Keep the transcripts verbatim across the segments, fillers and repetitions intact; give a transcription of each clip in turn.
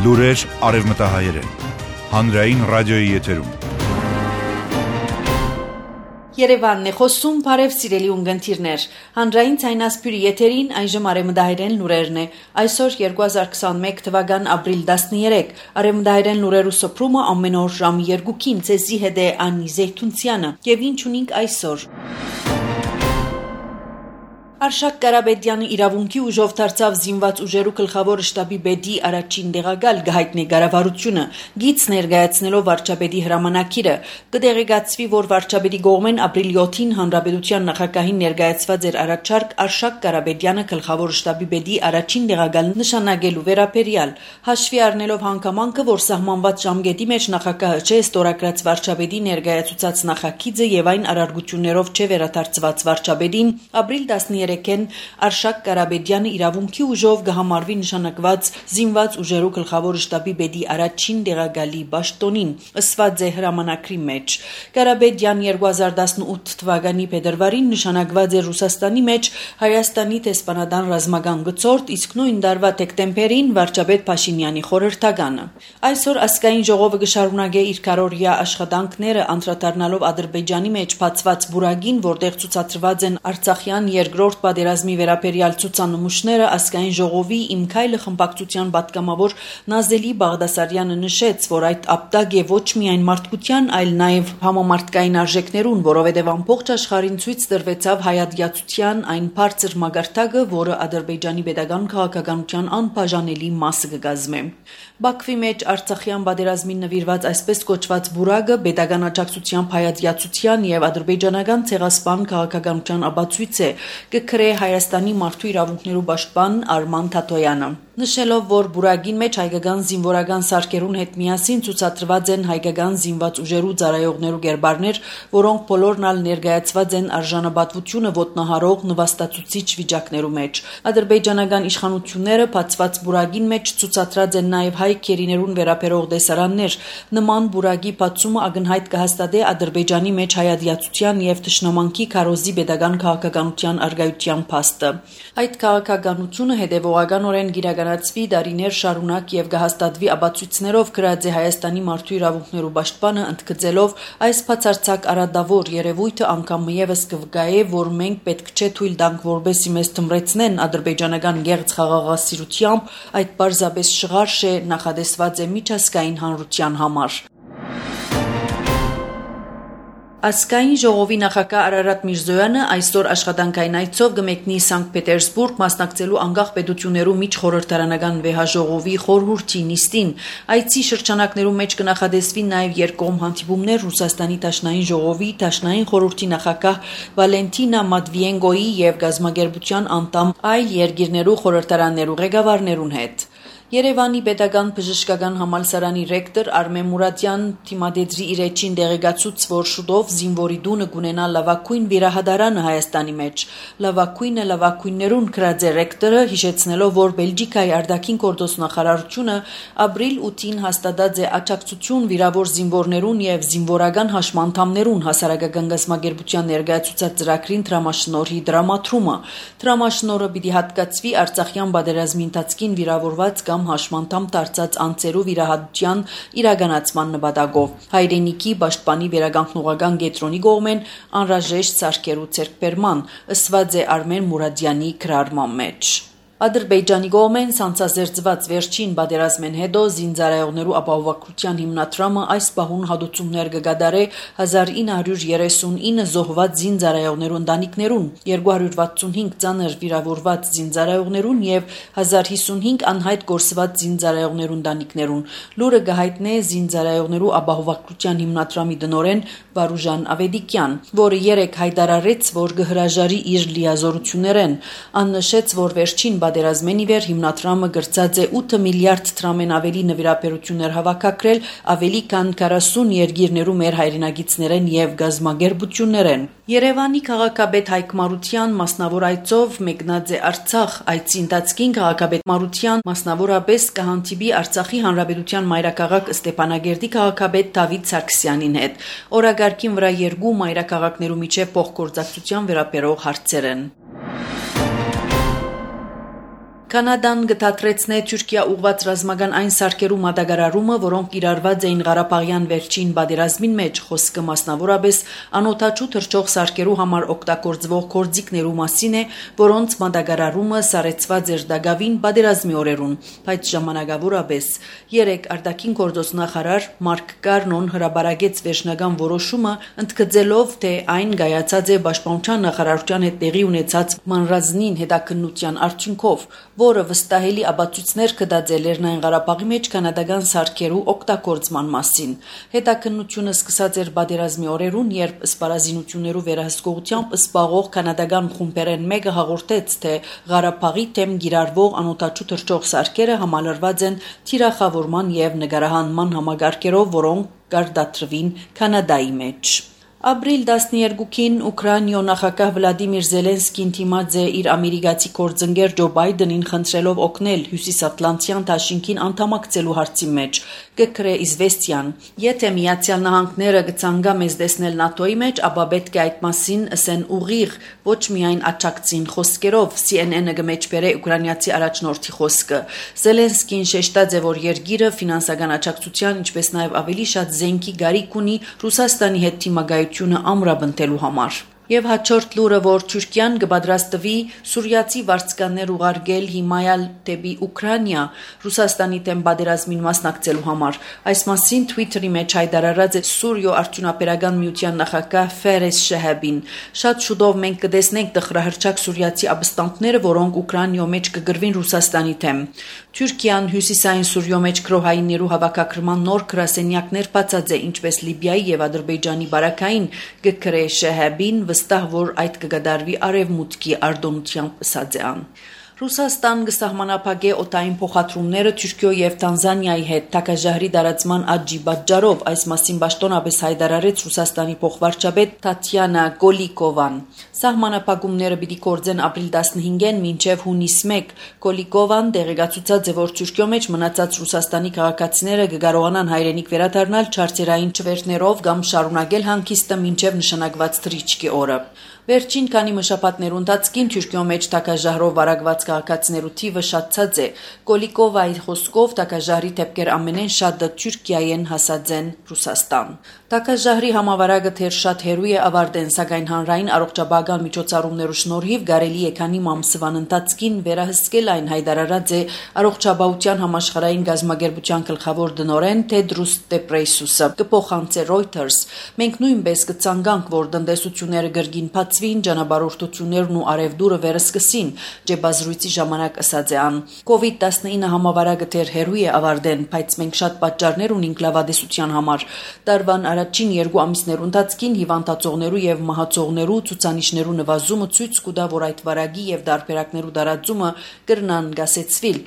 Լուրեր արևմտահայերեն, հանրային ռադիոյի եթերում։ Երևանն է խոսում, բարև սիրելի ունգընտիրներ, հանրային ցայնասպյուրի եթերին այժմ արևմտահայերեն լուրերն է, այսօր երկու հազար քսանմեկ թվական ապրիլ տասներեք, արևմտահայերեն լուրերու սփռումը ամեն օր ժամի երկուքին, ցեզի հետ է Անի Զեյթունցյանը, եւ ինչ ունենք այսօր։ Արշակ Կարապետյանը իրավունքի ուժով դարձավ զինված ուժերու գլխավոր շտաբի պետի առաջին տեղակալ գահիտնի կառավարությունը գիծ ներկայացնելով վարչապետի հրամանակիրը կդեղեկացվի որ վարչապետի կողմեն ապրիլի յոթին հանրապետության նախագահին ներկայացված էր առաջարկ Արշակ Կարապետյանը գլխավոր շտաբի պետի առաջին տեղակալ նշանակելու վերաբերյալ հաշվի առնելով հանգամանքը որ սահմանված ժամկետի մեջ նախագահը չէ ստորագրած վարչապետի ներկայացուցած նախագիծը եւ այն արարգություններով չէ վերադարձված վարչապետին ապրիլ տասներեքին Արշակ Կարապետյանը իրավունքի ուժով կհամարվի նշանակված զինված ուժերու գլխավոր շտաբի պետի առաջին տեղակալի պաշտոնին ըսված է հրամանակրի մեջ Կարապետյան երկու հազար տասնութ թվականի փետրվարին նշանակված է Ռուսաստանի մեջ Հայաստանի տեսփանադան ռազմական գծորդ իսկ նույն տարվա դեկտեմբերին վարչապետ Փաշինյանի խորհրդականը այսօր ազգային ժողովը կշարունակի իր կարողիա աշխատանքները անդրադառնալով Ադրբեջանի մեջ բացված բուրագին որտեղ ցուցադրված են Արցախյան երկրորդ պատերազմի վերաբերյալ ցուցանմուշները ազգային ժողովի Իմ քայլը խմբակցության պատգամավոր Նազելի Բաղդասարյանը նշեց, որ այդ ապտակ է ոչ միայն մարդկության, այլ նաև համամարտկային արժեքներուն, որովհետև ամբողջ աշխարհին ցույց տրվեցավ հայատյացության այն բարձր մագարտակը, որը Ադրբեջանի պետական քաղաքականության անբաժանելի մասը կգազմե։ Բաքվի մեջ Արցախյան պատերազմին նվիրված այսպես կոչված բուրագը պետական աջակցությամբ հայատյացության եւ ադրբեջանական ցեղասպան քաղաքականության ապացույց է, կգրե Հայաստանի մարդու իրավունքներու պաշտպան Արման Թաթոյանը նշելով որ բուրագին մեջ հայկական զինվորական սարքերուն հետ միասին ցուցադրված են հայկական զինված ուժերու ծառայողներու գերբարներ, որոնք բոլորն ալ ներկայացված են արժանապատվությունը ոտնահարող նվաստացուցիչ վիճակներու մեջ։ Ադրբեջանական իշխանությունները բացված բուրագին մեջ ցուցադրած են նաև հայ քերիներուն վերաբերող դեսարաններ։ Նման բուրագի բացումը ակնհայտ կհաստատի Ադրբեջանի մեջ հայատյացության եւ թշնամանքի քարոզի պետական քաղաքականության արգայության փաստը։ Այդ քաղաքականությունը հետևողականորեն գիրականացվի դարիներ շարունակ եւ կհաստատվի ապացույցներով գրած է Հայաստանի մարդու իրավունքներու պաշտպանը ընդգծելով այս բացարձակ արադավոր երևույթը անգամ եւս կվկայե որ մենք պետք չէ թույլ տանք որբեսի մեզ թմրեցնեն ադրբեջանական գեղձ խաղաղասիրությամբ այդ բարձրապես շղարշ է նախադեсված է միջազգային հանրության համար։ Ազգային ժողովի նախագահ Արարատ Միրզոյանը այսօր աշխատանքային այցով կմեկնի Սանկտ Պետերսբուրգ մասնակցելու անկախ պետություններու միջխորհրդարանական վեհաժողովի խորհրդի նիստին։ Այցի շրջանակներու մեջ կնախադեсվի նաև երկկողմ հանդիպումներ Ռուսաստանի Դաշնային ժողովի Դաշնային խորհրդի նախագահ Վալենտինա Մատվիենկոյի եւ գազագերբության անդամ այլ երկիրներու խորհրդարաններու ղեկավարներուն հետ։ Երևանի պետական բժշկական համալսարանի ռեկտոր Արմեն Մուրադյան թիմադեդրի իր էջին դեղեկացուց, որ շուտով զինվորի դունը կունենա լավագույն վիրահատարանը Հայաստանի մեջ։ Լավագույնը լավագույններուն գրած է ռեկտորը, հիշեցնելով, որ Բելգիկայի արտաքին գործ նախարարությունը ապրիլ ութին հաստատած է աջակցություն վիրավոր զինվորներուն եւ զինվորական հաշմանդամներուն հասարակական գազագերբության ներկայացուցած ծրագրին դրամաշնորհի դրամատրումը։ Դրամաշնորհը պիտի հատկացվի Արցախյան պատերազմի ընթացքին վիրավորված կամ հաշմանդամ դարձած անձերու վիրահատության իրականացման նպատակով հայրենիքի պաշտպանի վերականգնողական կենտրոնի կողմեն անհրաժեշտ սարքերու ձեռքբերման ըսված է Արմեն Մուրադյանի գրառման մեջ։ Ադրբեջանի կողմեն սանձազերծված վերջին պատերազմեն հետո զինծառայողներու ապահովագրության հիմնադրամը այս պահուն հատուցումներ կգադարե հազար ինը հարյուր երեսունինը զոհված զինծառայողներու ընտանիքներուն, երկու հարյուր վաթսունհինգ ծանր վիրավորված զինծառայողներուն եւ հազար հիսունհինգ անհայտ գործված զինծառայողներու ընտանիքներուն։ Լուրը կհայտնե զինծառայողներու ապահովագրության հիմնադրամի տնօրեն Վարուժան Ավեդիկյան, որը երեք հայտարարեց, որ կհրաժարի իր լիազորություններեն, աննշեց, որ վերջին պատերազմեն ի վեր հիմնադրամը գրծած է ութ միլիարդ դրամեն ավելի նվիրաբերություններ հավաքագրել ավելի քան քառասուն երկիրներու մեր հայրենագիցներեն եւ գազագերբություններեն։ Երևանի քաղաքապետ Հայկ Մարության մասնավոր այցով մեկնած է Արցախ, այցի ընթացքին քաղաքապետ Մարության մասնավորապես կհանդիպի Արցախի հանրապետության մայրաքաղաք Ստեփանագերդի քաղաքապետ Դավիթ Սարգսյանին հետ։ Օրագարկին վրա երկու մայրաքաղաքներու միջև փոխգործակցության վերաբերող հարցեր են։ Կանադան գտատրեցնե Թուրքիա ուղված ռազմական այն սարքերու մատակարարումը, որոնք իրարված էին Ղարաբաղյան վերջին բادرազմին մեջ, խոսքը մասնավորապես անօթաչու թռչող սարքերու համար օգտագործվող գործիքներու մասին է, որոնց մատակարարումը սարեցված էր դագավին բادرազմի օրերուն, բայց ժամանակավորապես երեք արտաքին գործոստ նախարար Մարկ Կարնոն հրաբարագեց վերջնական որոշումը, ընդգծելով, թե այն գայացած է Պաշտպանության նախարարության հետ տեղի ունեցած մանրազնին հետաքննության արդյունքով, որը վստահելի աբացույցներ կդած է Լեռնային Ղարաբաղի մեջ կանադական սարքերու օգտագործման մասին։ Հետաքննությունը սկսած էր բادرազմի օրերուն, երբ սպառազինություններու վերահսկողությամբ սպաղող կանադական խումբերեն մեկը հաղորդեց, թե Ղարաբաղի թեմ գիրարվող անօթաչու թռչող սարքերը համալրված են թիրախավորման եւ նկարահանման համագարկերով, որոնք կարտադրվին Կանադայի մեջ։ Ապրիլ տասներկուին Ուկրաինայո նախագահ Վլադիմիր Զելենսկին դիմաց է իր ամերիկացի գործընկեր Ջո Բայդենին խնդրելով օգնել Հյուսիսատլանտյան դաշինքին անդամակցելու հարցի մեջ։ Գկրե Իզվեստիան, եթե Միացյալ Նահանգները կցանկա մեզ տեսնել ՆԱՏՕ-ի մեջ, ապա պետք է այդ մասին ասեն ուղիղ, ոչ միայն աջակցին խոսքերով, C N N-ը կմեջբերե ուկրաինացի առաջնորդի խոսքը։ Զելենսկին շեշտած է, որ երկիրը ֆինանսական աջակցության, ինչպես նաև ավելի շատ զենքի գարիք ունի Ռուսաստանի հետ թիմագայությունը ամրապնդելու համար։ Եվ հաջորդ լուրը, որ Թուրքիան կպատրաստվի սուրիացի վարձկաններ ուղարկել հիմայալ դեպի Ուկրաինա Ռուսաստանի դեմ բادرազմին մասնակցելու համար։ Այս մասին Twitter-ի մեջ հայտարարած է Սուրիո արդյունաբերական միության նախագահ Ֆերես Շեհաբին։ Շատ շուտով մենք կտեսնենք տխրահրճակ սուրիացի ապստամբները, որոնք Ուկրաինայո մեջ կգրվին Ռուսաստանի դեմ։ Թուրքիան հյուսիսային Սուրիո մեջ գրոհայիններու հավաքագրման նոր գրասենյակներ բացած է, ինչպես Լիբիայի եւ Ադրբեջանի բարակային գկրե Շեհաբին վստահ, որ այդ կգդարվի արևմուտքի արտոնությամբ ասած է ան։ Ռուսաստան կսահմանափակե օտային փոխադրումները Թուրքիո եւ Տանզանիայի հետ թակաժահրի դարացման աճի պատճառով, այս մասին պաշտոնապես հայտարարեց Ռուսաստանի փոխվարչապետ Տատյանա Կոլիկովան։ Սահմանափակումները պիտի գործեն ապրիլ տասնհինգին մինչև հունիս մեկ։ Կոլիկովան տեղեկացուցած է, որ Թուրքիո մեջ մնացած Ռուսաստանի քաղաքացիները կկարողանան հայրենիք վերադառնալ չարչերային չվերթներով կամ շարունակել հանգիստը մինչև նշանակված թռիչքի օրը։ Վերջին քանի մշապատներու ընթացքին Թուրքիո մեջ թակաժահրով վարակված քաղաքացիներու թիվը շատացած է։ Կոլիկովայի խոսքով թակաժահրի դեպքեր ամենեն շատը Թուրքիայեն հասած են Ռուսաստան։ Թակաժահրի համավարակը թեր շատ հեռու է ավարտեն, սակայն հանրային առողջապահական միջոցառումներու շնորհիվ կարելի է քանի ամսվան ընթացքին վերահսկել այն, հայտարարած է առողջապահության համաշխարհային գազագերբության գլխավոր տնօրեն Թեդրոս Տեբրեյսուսը։ Կփոխանցե Reuters։ Մենք նույնպես կցանկանք, որ տնտեսությունները գրգին բացվին, ճանապարհորդություններն ու արևդուրը վերսկսին, ջեբազրույցի ժամանակ ասած է ան։ կովիդ տասնինը համավարակը թեր հեռու է ավարտեն, բայց մենք շատ պատճառներ ունենք լավադեսության համար։ Տարվան առաջին երկու ամիսներու ընթացքին հիվանդացողներու եւ մահացողներու ցուցանիշներու նվազումը ցույց կտա, որ այդ վարակի եւ դարբերակներու դարածումը կրնան գասեցվիլ։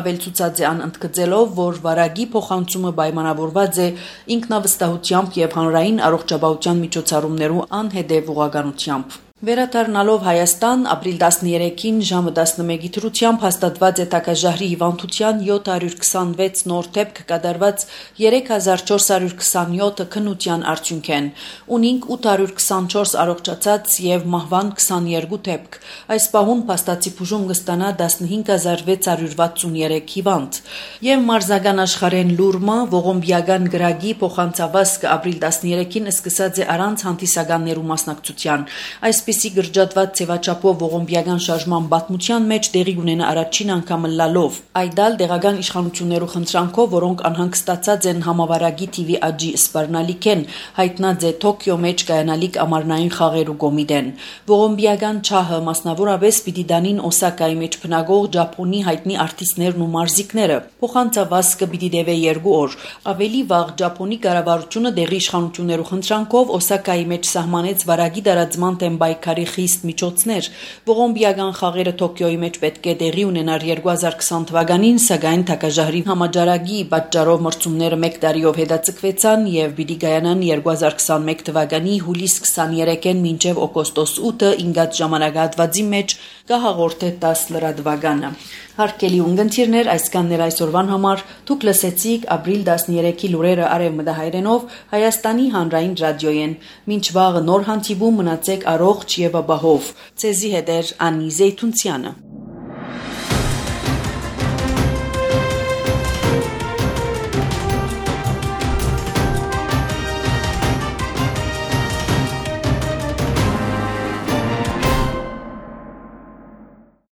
Ավելցուցած է ան ընդգծելով, որ վարակի փոխանցումը պայմանավորված է ինքնավստահությամբ եւ հանրային առողջապահության միջոցառումներու անհետեւ ուղղականությամբ։ Վերադառնալով Հայաստան, ապրիլ տասներեքին ժամը տասնմեկի դրությամբ հաստատված է թակաժահրի հիվանդության յոթ հարյուր քսանվեց նոր դեպք կատարված երեք հազար չորս հարյուր քսանյոթը քննության արդյունքեն։ Ունինք ութ հարյուր քսանչորս առողջացած եւ մահվան քսաներկու դեպք։ Այս պահուն փաստացի բուժում կստանա տասնհինգ հազար վեց հարյուր վաթսուներեք հիվանդ։ Եվ մարզական աշխարհեն լուրմը ողոմբիական գրագի փոխանցավազքը ապրիլ տասներեքին սկսած է առանց հանդիսականներու մասնակցության։ Այս Այսպիսի գրջատված ցեվաչափով ողոմբիական շարժման պատմության մեջ տեղի ունենա առաջին անգամը լալով։ Այդալ դեղական իշխանություններու խնդրանքով, որոնք անհանգստացած են համավարակի թիվի աճի սպառնալիք են, հայտնած է Թոքիո մեջ կայանալիք ամառնային խաղերու կոմիտեն։ Ողոմբիական չահը մասնավորապես պիտի դանին Օսակայի մեջ բնակող Ճապոնի հայտնի արտիստներն ու մարզիկները։ Փոխանցավազքը պիտի դեվե երկու օր։ Ավելի վաղ Ճապոնի կառավարությունը դեղի իշխանություններու խնդրանքով Օսակայի մեջ սահմանեց վարակի դարածման դեմ քարի խիստ միջոցներ։ Ողոմբիական խաղերը Թոքիոյի մեջ պետք է տեղի ունենար երկու հազար քսան թվականին, սակայն թակաժահրի համաճարակի պատճառով մրցումները մեկ տարիով հետաձգվեցան եւ պիտի կայանան երկու հազար քսանմեկ թվականի հուլիս քսաներեքին մինչեւ օգոստոս ութը ինգած ժամանակահատվածի մեջ կհաղորդե տաս լրատվականը։ Հարկելի ունգընտիրներ, այսքաններ այսօրվան համար դուք լսեցիք ապրիլ տասներեքի լուրերը արևմտահայերենով Հայաստանի հանրային ռադիոյեն։ Մինչ վաղը նոր հանդիպում մնացեք առողջ եւ ապահով։ Ցեզի հետ էր Անի Զեյթունցյանը։